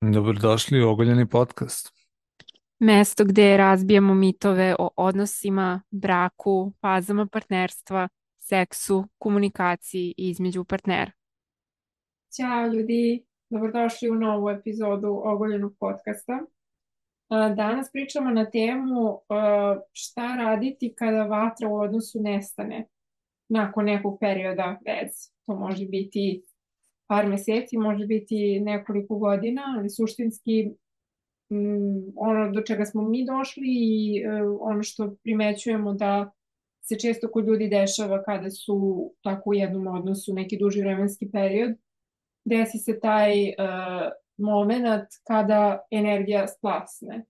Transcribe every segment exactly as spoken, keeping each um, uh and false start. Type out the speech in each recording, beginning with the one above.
Dobrodošli u Ogoljeni podcast. Mesto gde razbijamo mitove o odnosima, braku, fazama partnerstva, seksu, komunikaciji između partnera. Ćao ljudi, dobrodošli u novu epizodu Ogoljenog podcasta. A, Danas pričamo na temu a, šta raditi kada vatra u odnosu nestane nakon nekog perioda veze. To može biti par meseci, može biti nekoliko godina, ali suštinski mm, ono do čega smo mi došli i e, ono što primećujemo da se često kod ljudi dešava kada su tako u jednom odnosu neki duži vremenski period, desi se taj uh, moment kada energija splasne.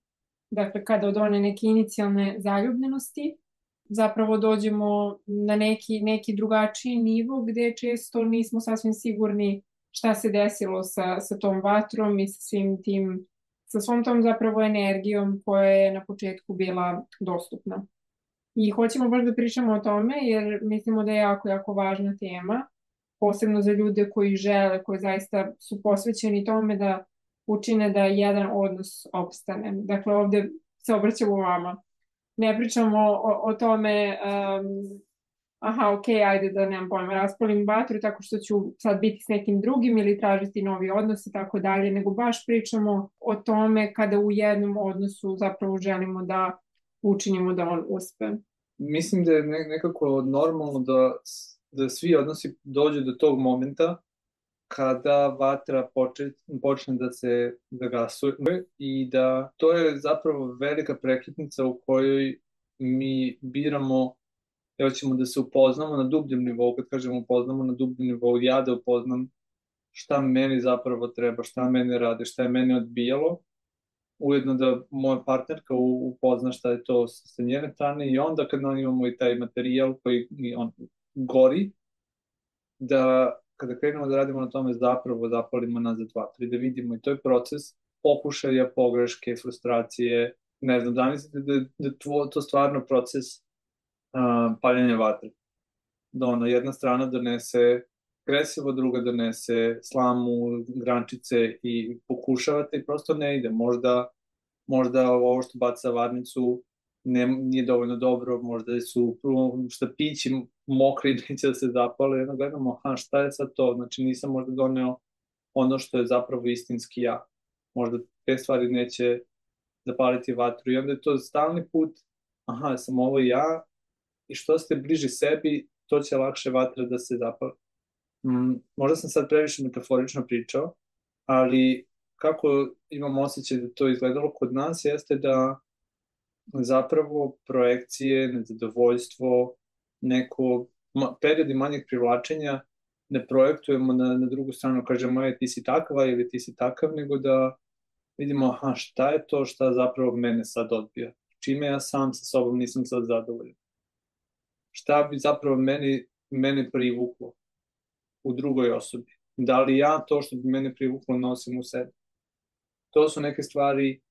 Dakle, kada od one neke inicijalne zaljubljenosti zapravo dođemo na neki, neki drugačiji nivo gde često nismo sasvim sigurni šta se desilo sa, sa tom vatrom i sa svim tim, sa svom tom zapravo energijom koja je na početku bila dostupna. I hoćemo baš da pričamo o tome jer mislimo da je jako, jako važna tema, posebno za ljude koji žele, koji zaista su posvećeni tome da učine da jedan odnos opstane. Dakle, ovde se obraćamo vama. Ne pričamo o, o tome, um, aha, ok, ajde da nemam pojma, raspalim vatru tako što ću sad biti s nekim drugim ili tražiti novi odnos i tako dalje, nego baš pričamo o tome kada u jednom odnosu zapravo želimo da učinimo da on uspe. Mislim da je ne- nekako normalno da, da svi odnosi dođu do tog momenta kada vatra poče, počne da se da gasuje i da to je zapravo velika prekretnica u kojoj mi biramo da hoćemo da se upoznamo na dubljem nivou. Kad kažemo upoznamo na dubljem nivou, ja da upoznam šta meni zapravo treba, šta mene rade, šta je mene odbijalo, ujedno da moja partnerka u- upozna šta je to sa sa njene strane i onda kad on imamo i taj materijal koji i on gori, da kada krenemo da radimo na tome zapravo zapalimo nazad vatru i da vidimo i to je proces pokušaja, pogreške, frustracije, ne znam, zamislite da, da tvo, to stvarno proces uh, paljenja vatre. Da ono, jedna strana donese kresivo, druga donese slamu, grančice i pokušavate i prosto ne ide. Možda možda ovo što baca varnicu ne, nije dovoljno dobro, možda su štapići mokri, neće da se zapale, jedno gledamo, aha, šta je sad to, znači nisam možda doneo ono što je zapravo istinski ja, možda te stvari neće zapaliti vatru i onda je to stalni put, aha, sam ovo ja i što ste bliži sebi, to će lakše vatra da se zapali. Mm, možda sam sad previše metaforično pričao, ali kako imam osjećaj da to izgledalo kod nas jeste da zapravo projekcije, nezadovoljstvo, neko ma, periodi manjeg privlačenja ne projektujemo na, na drugu stranu, kažemo, je, ti si takva ili ti si takav, nego da vidimo, aha, šta je to šta zapravo mene sad odbija, čime ja sam sa sobom nisam sad zadovoljan. Šta bi zapravo meni, mene privuklo u drugoj osobi? Da li ja to što bi mene privuklo nosim u sebi? To su neke stvari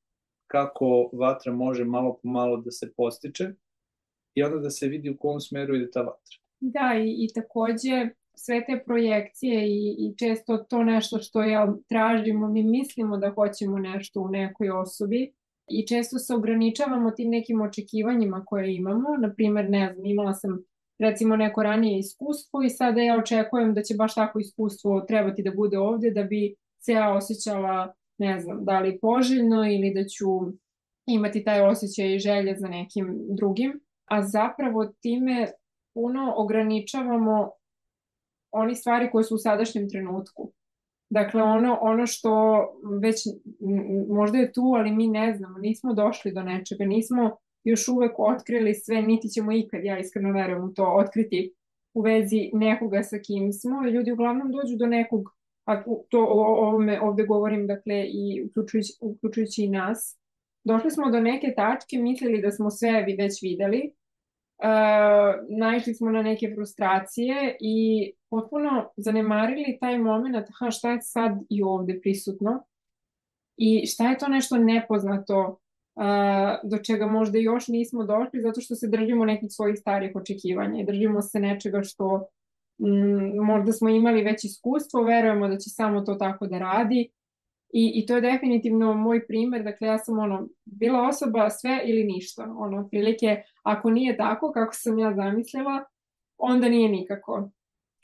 kako vatra može malo po malo da se postiče i onda da se vidi u kom smeru ide ta vatra. Da, i, i takođe sve te projekcije i, i često to nešto što ja tražimo, mi mislimo da hoćemo nešto u nekoj osobi i često se ograničavamo tim nekim očekivanjima koje imamo. Naprimer, ne znam, imala sam recimo neko ranije iskustvo i sada ja očekujem da će baš tako iskustvo trebati da bude ovde da bi se ja osjećala, ne znam, da li poželjno ili da ću imati taj osjećaj i želje za nekim drugim, a zapravo time puno ograničavamo oni stvari koje su u sadašnjem trenutku. Dakle, ono, ono što već m, možda je tu, ali mi ne znamo, nismo došli do nečega, nismo još uvek otkrili sve, niti ćemo ikad, ja iskreno verujem u to, otkriti u vezi nekoga sa kim smo. Ljudi uglavnom dođu do nekog, a to o ovome ovde govorim, dakle, i uključujući, uključujući i nas, došli smo do neke tačke, mislili da smo sve vi već videli, uh, naišli smo na neke frustracije i potpuno zanemarili taj moment, aha, šta je sad i ovde prisutno i šta je to nešto nepoznato uh, do čega možda još nismo došli zato što se držimo nekih svojih starih očekivanja i držimo se nečega što mm, možda smo imali već iskustvo, verujemo da će samo to tako da radi I, I to je definitivno moj primer, dakle ja sam ono, bila osoba sve ili ništa, ono, otprilike, ako nije tako kako sam ja zamislila, onda nije nikako.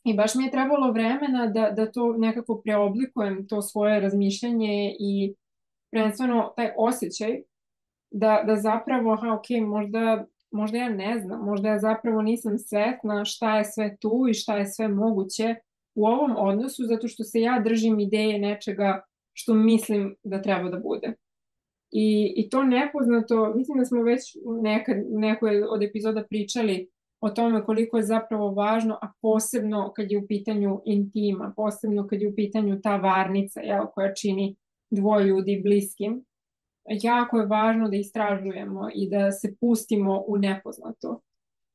I baš mi je trebalo vremena da, da to nekako preoblikujem, to svoje razmišljanje i prvenstveno taj osjećaj da, da zapravo, aha, ok, možda, možda ja ne znam, možda ja zapravo nisam svesna šta je sve tu i šta je sve moguće u ovom odnosu, zato što se ja držim ideje nečega što mislim da treba da bude. I, i to nepoznato, mislim da smo već nekad, nekoj od epizoda pričali o tome koliko je zapravo važno, a posebno kad je u pitanju intima, posebno kad je u pitanju ta varnica, jel, koja čini dvoje ljudi bliskim. Jako je važno da istražujemo i da se pustimo u nepoznato.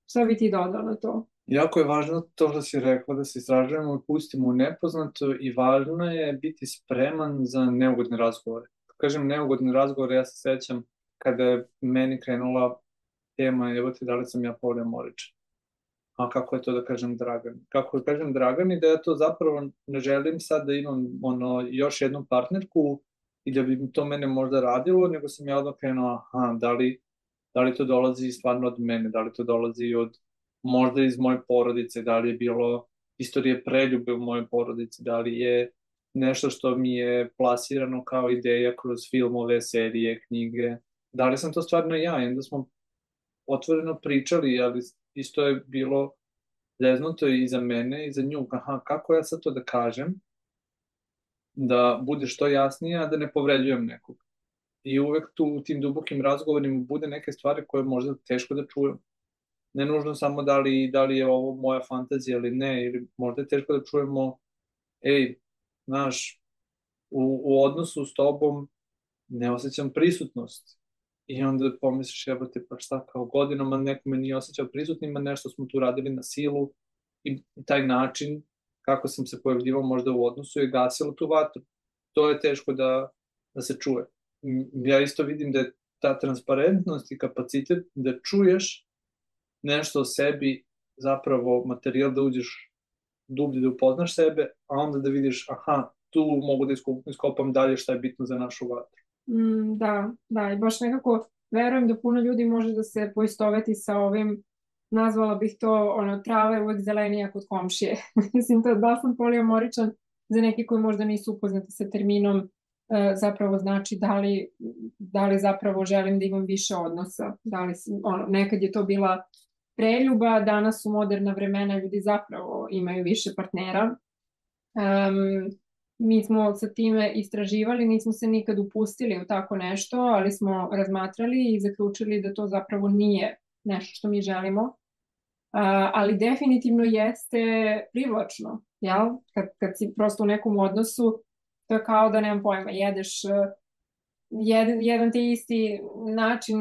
Šta bi ti dodao na to? Jako je važno to što si rekla, da se istražujemo i pustimo u nepoznato, i važno je biti spreman za neugodne razgovore. Kažem neugodne razgovore, ja se sećam kada je meni krenula tema, evo ti, da li sam ja polijamoričan. A kako je to da kažem Dragan? Kako da kažem Dragan i da ja to zapravo ne želim sad da imam ono, još jednu partnerku i da bi to mene možda radilo, nego sam ja odmah krenuo, aha, da li, da li to dolazi stvarno od mene, da li to dolazi od možda iz moje porodice, da li je bilo istorije preljube u mojoj porodici, da li je nešto što mi je plasirano kao ideja kroz filmove, serije, knjige, da li sam to stvarno ja, i onda smo otvoreno pričali, ali isto je bilo zeznuto i za mene i za nju, aha, kako ja sad to da kažem, da bude što jasnije, a da ne povređujem nekog. I uvek tu u tim dubokim razgovorima bude neke stvari koje možda teško da čujem. Ne nužno samo da li, da li je ovo moja fantazija ili ne, ili možda je teško da čujemo, ej, znaš, u, u odnosu s tobom ne osjećam prisutnost. I onda pomisliš, jebote, pa šta, kao godinama neko me nije osjećao prisutnima, nešto smo tu radili na silu, i taj način kako sam se pojavljivao možda u odnosu je gasilo tu vatru. To je teško da, da se čuje. Ja isto vidim da je ta transparentnost i kapacitet da čuješ nešto o sebi zapravo materijal da uđeš dublje, da upoznaš sebe, a onda da vidiš, aha, tu mogu da iskopam dalje šta je bitno za našu vatru. Mm, da, da, i baš nekako verujem da puno ljudi može da se poistoveti sa ovim, nazvala bih to, ono, trava je uvek zelenija kod komšije. Mislim, to da sam polijamoričan, za neki koji možda nisu upoznati sa terminom, e, zapravo znači da li, da li zapravo želim da imam više odnosa. Da li, ono, nekad je to bila preljuba, danas su moderna vremena, ljudi zapravo imaju više partnera. Um, mi smo sa time istraživali, nismo se nikad upustili u tako nešto, ali smo razmatrali i zaključili da to zapravo nije nešto što mi želimo. Uh, ali definitivno jeste privlačno, jel? Kad, kad si prosto u nekom odnosu, to je kao da, nemam pojma, jedeš uh, jedan, jedan te isti način,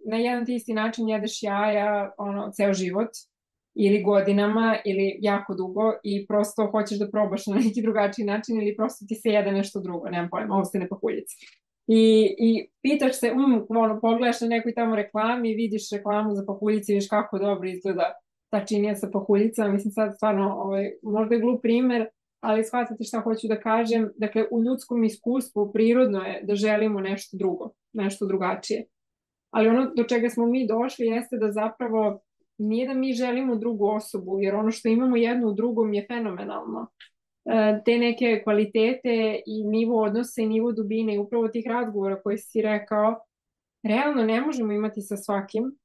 na jedan te isti način jedeš jaja, ono, ceo život, ili godinama, ili jako dugo, i prosto hoćeš da probaš na neki drugačiji način, ili prosto ti se jede nešto drugo, nemam pojma, ostane pahuljica. I, i pitaš se, um, ono, pogledaš na nekoj tamo reklami, vidiš reklamu za pahuljice i vidiš kako dobro izgleda ta činija sa pahuljicama. Mislim, sad stvarno, ovaj, možda je glup primer, ali shvatate šta hoću da kažem. Dakle, u ljudskom iskustvu prirodno je da želimo nešto drugo, nešto drugačije. Ali ono do čega smo mi došli jeste da zapravo nije da mi želimo drugu osobu, jer ono što imamo jedno u drugom je fenomenalno. E, te neke kvalitete i nivo odnosa i nivo dubine i upravo tih razgovora koji si rekao, realno ne možemo imati sa svakim.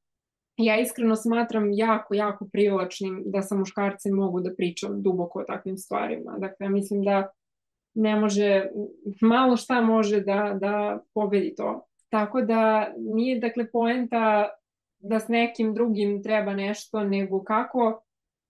Ja iskreno smatram jako, jako privlačnim da sa muškarcem mogu da pričam duboko o takvim stvarima. Dakle, mislim da ne može, malo šta može da, da pobedi to. Tako da nije, dakle, poenta da s nekim drugim treba nešto, nego kako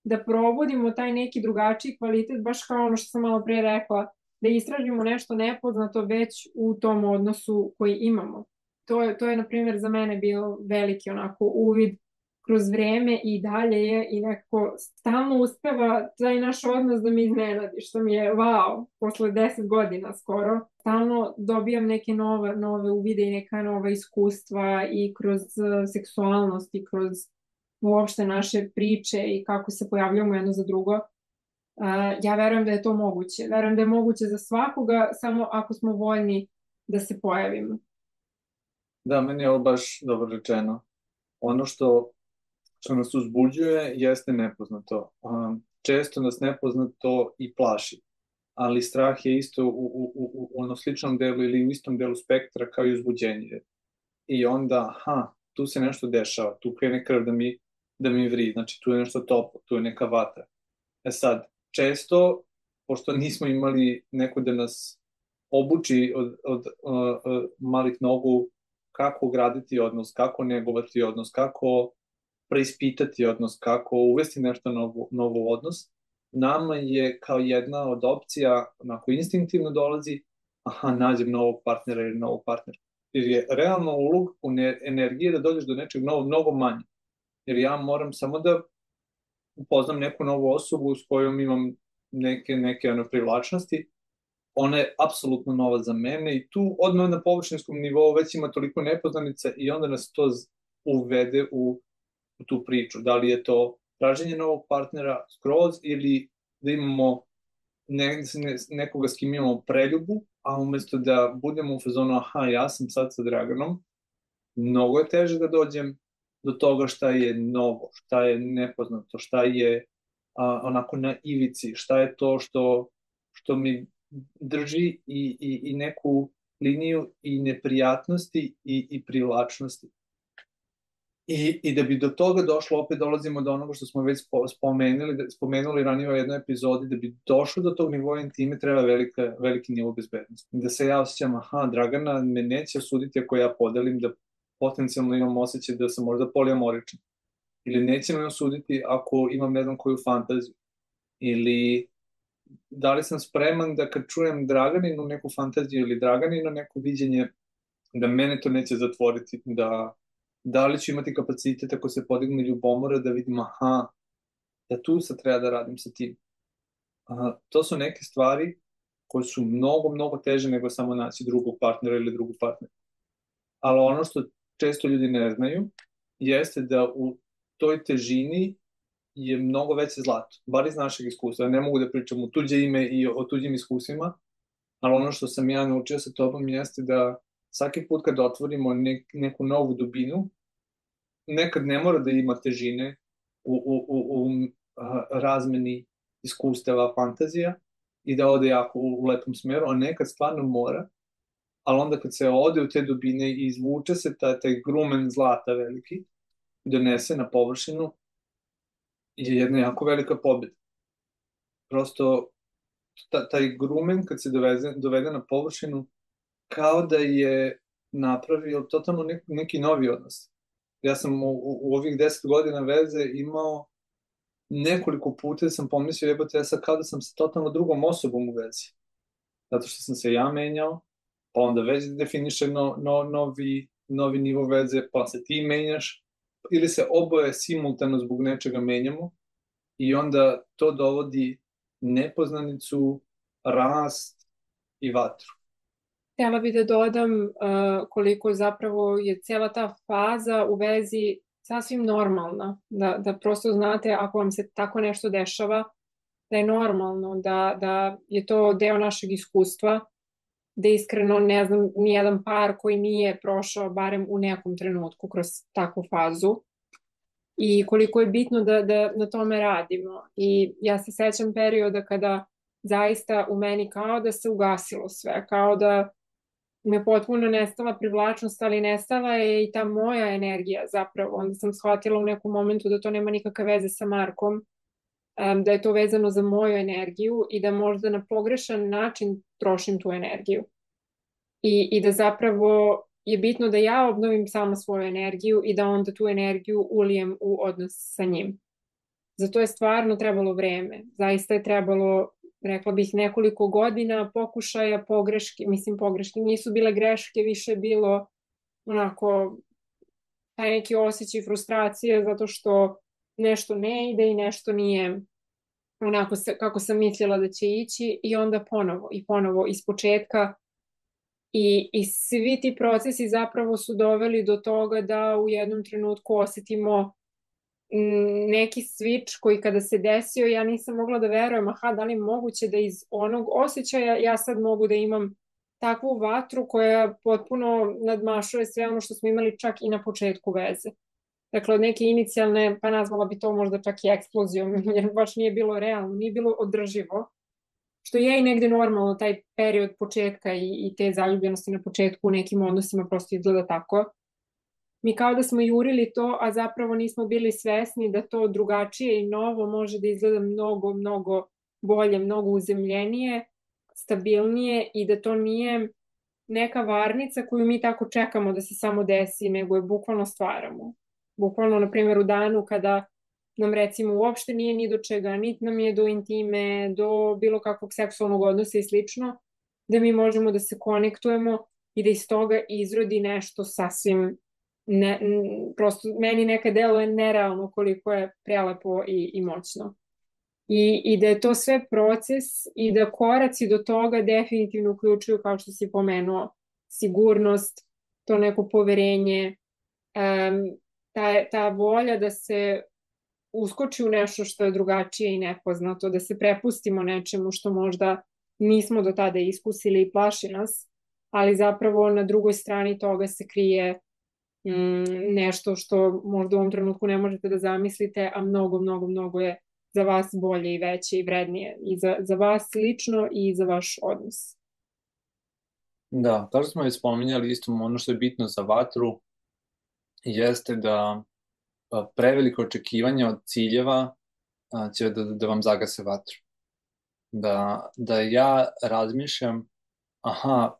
da provodimo taj neki drugačiji kvalitet, baš kao ono što sam malo pre rekla, da istražimo nešto nepoznato već u tom odnosu koji imamo. To je, to je, na primjer, za mene bio veliki onako uvid kroz vreme i dalje je i nekako stalno uspeva taj naš odnos da me iznenadi, što mi je wow, posle deset godina skoro. Stalno dobijam neke nove, nove uvide i neka nova iskustva i kroz seksualnost i kroz uopšte naše priče i kako se pojavljamo jedno za drugo. Uh, ja verujem da je to moguće. Verujem da je moguće za svakoga, samo ako smo voljni da se pojavimo. Da, meni je ovo baš dobro rečeno. Ono što, što nas uzbuđuje jeste nepoznato. Um, često nas nepoznato i plaši, ali strah je isto u, u, u, u ono sličnom delu ili u istom delu spektra kao i uzbuđenje. I onda, ha, tu se nešto dešava, tu krene krv da mi, da mi vri, znači tu je nešto toplo, tu je neka vatra. E sad, često, pošto nismo imali neko da nas obuči od, od uh, uh, malih nogu kako graditi odnos, kako negovati odnos, kako preispitati odnos, kako uvesti nešto novo, novo odnos, nama je kao jedna od opcija, onako instinktivno dolazi, aha, nađem novog partnera ili novog partnera. Jer je realno ulog u energije da dođeš do nečeg novog, mnogo manje. Jer ja moram samo da upoznam neku novu osobu s kojom imam neke, neke ono, privlačnosti, ona je apsolutno nova za mene i tu odmah na površinskom nivou već ima toliko nepoznanica i onda nas to uvede u, u tu priču. Da li je to traženje novog partnera skroz ili da imamo ne, ne, nekoga s kim imamo preljubu, a umesto da budemo u fazonu aha, ja sam sad sa Draganom, mnogo je teže da dođem do toga šta je novo, šta je nepoznato, šta je a, onako na ivici, šta je to što, što mi drži i, i, i neku liniju i neprijatnosti i, i privlačnosti. I, I da bi do toga došlo, opet dolazimo do onoga što smo već spomenuli, da, spomenuli ranije u jednoj epizodi, da bi došlo do tog nivoa intime treba velika, veliki nivo bezbednosti. Da se ja osjećam, aha, Dragana me neće osuditi ako ja podelim da potencijalno imam osjećaj da sam možda polijamoričan. Ili neće me osuditi ako imam ne znam koju fantaziju. Ili da li sam spreman da kad čujem Draganinu neku fantaziju ili Draganinu neko viđenje, da mene to neće zatvoriti, da da li ću imati kapacitet ako se podigne ljubomora da vidim, aha, da tu sad treba da radim sa tim. Aha, to su neke stvari koje su mnogo, mnogo teže nego samo naći drugog partnera ili drugu partnera. Ali ono što često ljudi ne znaju jeste da u toj težini je mnogo veće zlato, bar iz našeg iskustva. Ne mogu da pričam u tuđe ime i o tuđim iskustvima, ali ono što sam ja naučio sa tobom jeste da svaki put kad otvorimo nek, neku novu dubinu, nekad ne mora da ima težine u, u, u, u razmeni iskustava, fantazija i da ode jako u, u lepom smeru, a nekad stvarno mora, ali onda kad se ode u te dubine i izvuče se taj, taj grumen zlata veliki, donese na površinu, je jedna jako velika pobjeda. Prosto ta, taj grumen kad se doveze, dovede na površinu, kao da je napravio totalno neki, neki novi odnos. Ja sam u, u, u ovih deset godina veze imao nekoliko puta sam pomislio, jebote, ja sad kao da sam sa totalno drugom osobom u vezi. Zato što sam se ja menjao, pa onda već definiše no, no, novi, novi nivo veze, pa se ti menjaš, ili se oboje simultano zbog nečega menjamo i onda to dovodi nepoznanicu, rast i vatru. Htjela bih da dodam uh, koliko zapravo je cijela ta faza u vezi sasvim normalna. Da, da prosto znate ako vam se tako nešto dešava, da je normalno, da, da je to deo našeg iskustva, da iskreno ne znam nijedan par koji nije prošao barem u nekom trenutku kroz takvu fazu. I koliko je bitno da, da na tome radimo. I ja se sećam perioda kada zaista u meni kao da se ugasilo sve, kao da me potpuno nestala privlačnost, ali nestala je i ta moja energija zapravo. Onda sam shvatila u nekom momentu da to nema nikakve veze sa Markom, da je to vezano za moju energiju i da možda na pogrešan način trošim tu energiju. I, i da zapravo je bitno da ja obnovim sama svoju energiju i da onda tu energiju ulijem u odnos sa njim. Zato je stvarno trebalo vreme. Zaista je trebalo, rekla bih, nekoliko godina pokušaja, pogreške, mislim pogreške, nisu bile greške, više bilo onako taj neki osjećaj frustracije zato što nešto ne ide i nešto nije onako kako sam mislila da će ići i onda ponovo i ponovo iz početka. I, I svi ti procesi zapravo su doveli do toga da u jednom trenutku osetimo neki switch koji kada se desio ja nisam mogla da verujem, aha, da li je moguće da iz onog osjećaja ja sad mogu da imam takvu vatru koja potpuno nadmašuje sve ono što smo imali čak i na početku veze. Dakle, od neke inicijalne, pa nazvala bi to možda čak i eksplozijom, jer baš nije bilo realno, nije bilo održivo, što je i negde normalno, taj period početka i, i te zaljubljenosti na početku u nekim odnosima prosto izgleda tako. Mi kao da smo jurili to, a zapravo nismo bili svesni da to drugačije i novo može da izgleda mnogo, mnogo bolje, mnogo uzemljenije, stabilnije i da to nije neka varnica koju mi tako čekamo da se samo desi, nego je bukvalno stvaramo. Bukvalno, na primjer, u danu kada nam recimo uopšte nije ni do čega, niti nam je do intime, do bilo kakvog seksualnog odnosa i slično, da mi možemo da se konektujemo i da iz toga izrodi nešto sasvim ne, prosto meni neka delo je nerealno koliko je prelepo i, i moćno. I, I da je to sve proces i da koraci do toga definitivno uključuju, kao što si pomenuo, sigurnost, to neko poverenje, um, ta, ta volja da se uskoči u nešto što je drugačije i nepoznato, da se prepustimo nečemu što možda nismo do tada iskusili i plaši nas, ali zapravo na drugoj strani toga se krije mm, nešto što možda u ovom trenutku ne možete da zamislite, a mnogo, mnogo, mnogo je za vas bolje i veće i vrednije i za, za vas lično i za vaš odnos. Da, kao što smo već spominjali, isto ono što je bitno za vatru jeste da preveliko očekivanje od ciljeva će da, da vam zagase vatru. Da, da ja razmišljam, aha,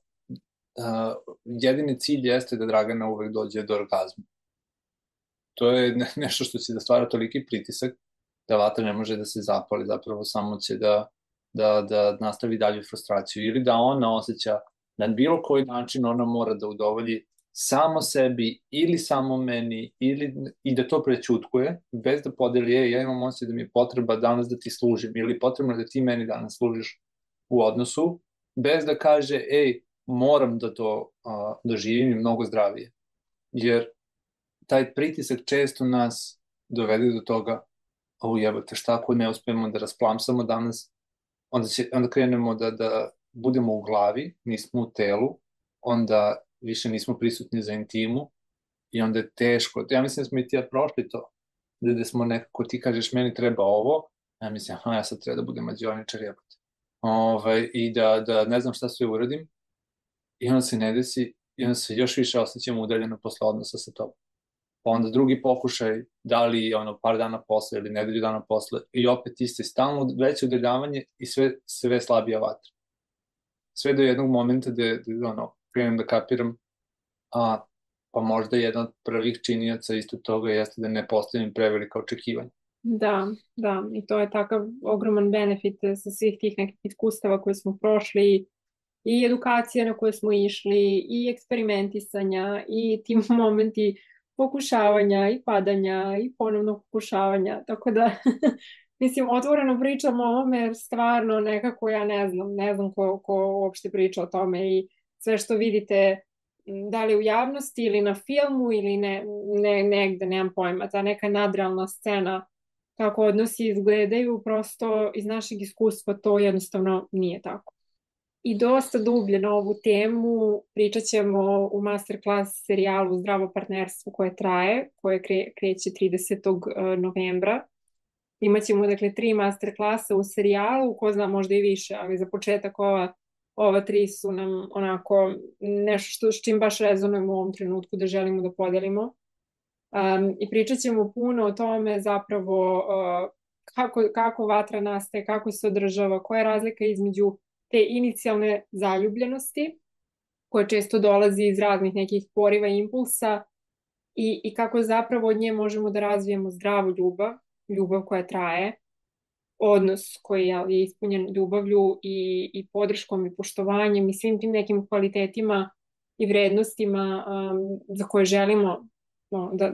jedini cilj jeste da Dragana uvek dođe do orgazma. To je nešto što će da stvara toliki pritisak da vatra ne može da se zapali, zapravo samo će da, da, da nastavi dalju frustraciju ili da ona osjeća na bilo koji način ona mora da udovolji samo sebi ili samo meni ili, i da to prećutkuje bez da podeli, je, ja imam osjećaj da mi je potreba danas da ti služim ili potrebno da ti meni danas služiš u odnosu, bez da kaže, ej, moram da to uh, doživim i mnogo zdravije. Jer taj pritisak često nas dovede do toga, o jebate, šta ako ne uspemo da rasplamsamo danas, onda, će, onda krenemo da, da budemo u glavi, nismo u telu, onda više nismo prisutni za intimu i onda je teško. Ja mislim da smo i ti ja prošli to, da, da smo nekako, ti kažeš meni treba ovo, ja mislim, aha, ja sad treba da budem mađioničar, jebate. Ovaj, I da, da ne znam šta sve uradim i onda se ne desi i onda se još više osjećamo udaljeno posle odnosa sa tobom. Pa onda drugi pokušaj, da li ono par dana posle ili nedelju dana posle i opet isto stalno veće udaljavanje i sve, sve slabija vatra. Sve do jednog momenta da, da ono, krenem da kapiram, a, pa možda jedan od prvih činioca isto toga jeste da ne postavim prevelika očekivanja. Da, da, i to je takav ogroman benefit sa svih tih nekih iskustava koje smo prošli i edukacije na koje smo išli i eksperimentisanja i ti momenti pokušavanja i padanja i ponovnog pokušavanja, tako da mislim, otvoreno pričam o ovome jer stvarno nekako ja ne znam, ne znam ko, ko uopšte priča o tome i sve što vidite da li u javnosti ili na filmu ili ne, ne, negde, nemam pojma, ta neka nadrealna scena kako odnosi izgledaju, prosto iz našeg iskustva to jednostavno nije tako. I dosta dublje na ovu temu pričat ćemo u masterclass serijalu Zdravo partnerstvo koje traje, koje kre, kreće tridesetog novembra. Imaćemo dakle tri masterclassa u serijalu, ko zna možda i više, ali za početak ova, ova tri su nam onako nešto što, s čim baš rezonujemo u ovom trenutku da želimo da podelimo. Um, I pričat ćemo puno o tome zapravo uh, kako, kako vatra nastaje, kako se održava, koja je razlika između te inicijalne zaljubljenosti koja često dolazi iz raznih nekih poriva i impulsa i, i kako zapravo od nje možemo da razvijemo zdravu ljubav, ljubav koja traje, odnos koji je ispunjen ljubavlju i, i podrškom i poštovanjem i svim tim nekim kvalitetima i vrednostima um, za koje želimo no, da,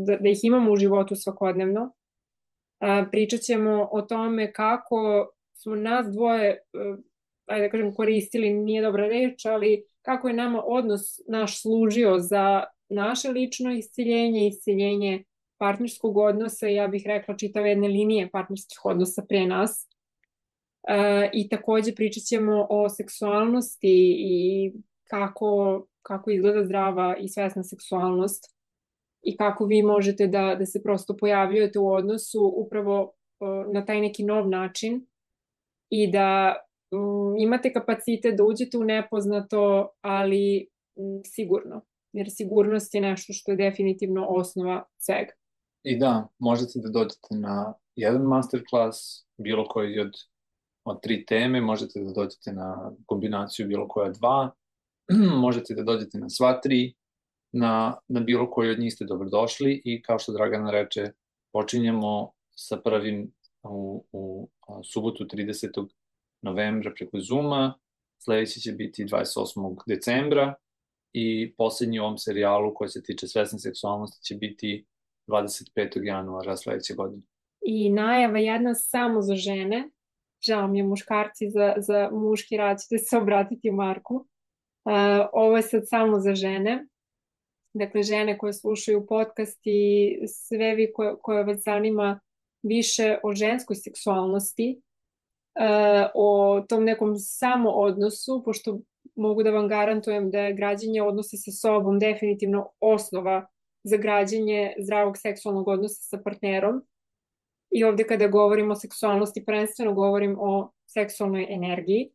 da, da ih imamo u životu svakodnevno. Uh, pričat ćemo o tome kako smo nas dvoje uh, ajde da kažem koristili, nije dobra reč, ali kako je nama odnos naš služio za naše lično isciljenje, isciljenje partnerskog odnosa, ja bih rekla čitave jedne linije partnerskih odnosa pre nas. E, I takođe pričat ćemo o seksualnosti i kako, kako izgleda zdrava i svesna seksualnost i kako vi možete da, da se prosto pojavljujete u odnosu upravo e, na taj neki nov način i da um, imate kapacitet da uđete u nepoznato, ali um, sigurno. Jer sigurnost je nešto što je definitivno osnova svega. I da, možete da dođete na jedan masterclass, bilo koji od, od tri teme, možete da dođete na kombinaciju bilo koja dva, možete da dođete na sva tri, na, na bilo koji od njih ste dobrodošli i kao što Dragana reče, počinjemo sa prvim u, u a, subotu tridesetog novembra preko Zooma, sledeći će biti dvadeset osmog decembra i poslednji u ovom serijalu koji se tiče svesne seksualnosti će biti dvadeset petog januara sledeće godine. I najava jedna samo za žene, žao mi je muškarci, za, za muški rad ćete se obratiti Marku. Uh, ovo je sad samo za žene, dakle žene koje slušaju podcast i sve vi koje, koje vas zanima više o ženskoj seksualnosti, uh, o tom nekom samo odnosu, pošto mogu da vam garantujem da je građenje odnosa sa sobom definitivno osnova za građenje zdravog seksualnog odnosa sa partnerom. I ovde kada govorim o seksualnosti, prvenstveno govorim o seksualnoj energiji,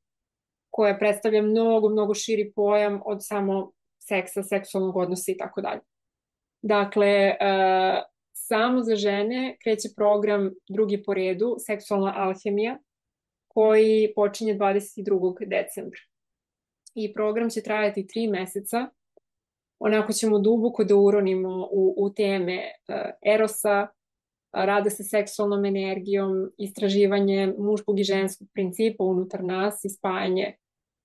koja predstavlja mnogo, mnogo širi pojam od samo seksa, seksualnog odnosa i tako dalje. Dakle, uh, samo za žene kreće program drugi po redu, Seksualna alhemija, koji počinje dvadeset drugog decembra. I program će trajati tri meseca. Onako ćemo duboko da uronimo u, u teme uh, erosa, rada sa seksualnom energijom, istraživanje muškog i ženskog principa unutar nas i spajanje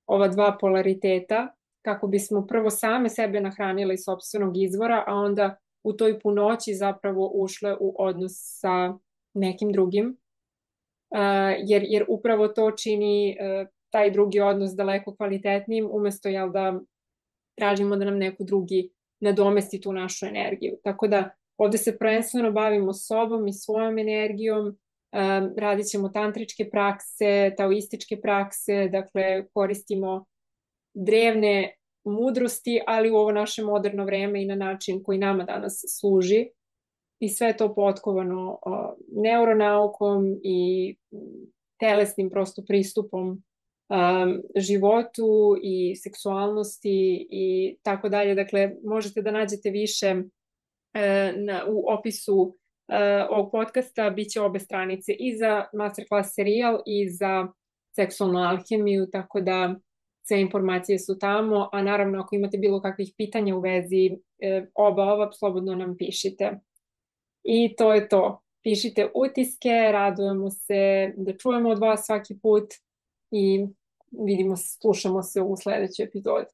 ova dva polariteta, kako bismo prvo same sebe nahranile iz sopstvenog izvora, a onda u toj punoći zapravo ušle u odnos sa nekim drugim, uh, jer, jer upravo to čini uh, taj drugi odnos daleko kvalitetnijim, umesto jel, da tražimo da nam neko drugi nadomesti tu našu energiju. Tako da ovde se prvenstveno bavimo sobom i svojom energijom, um, radit ćemo tantričke prakse, taoističke prakse, dakle koristimo drevne mudrosti, ali u ovo naše moderno vreme i na način koji nama danas služi. I sve to potkovano uh, neuronaukom i telesnim prosto pristupom um, životu i seksualnosti i tako dalje. Dakle, možete da nađete više Na, u opisu uh, ovog podcasta biće obe stranice i za masterclass serijal i za seksualnu alhemiju, tako da sve informacije su tamo, a naravno ako imate bilo kakvih pitanja u vezi uh, oba ova, slobodno nam pišite. I to je to. Pišite utiske, radujemo se da čujemo od vas svaki put i vidimo se, slušamo se u sledećoj epizodi.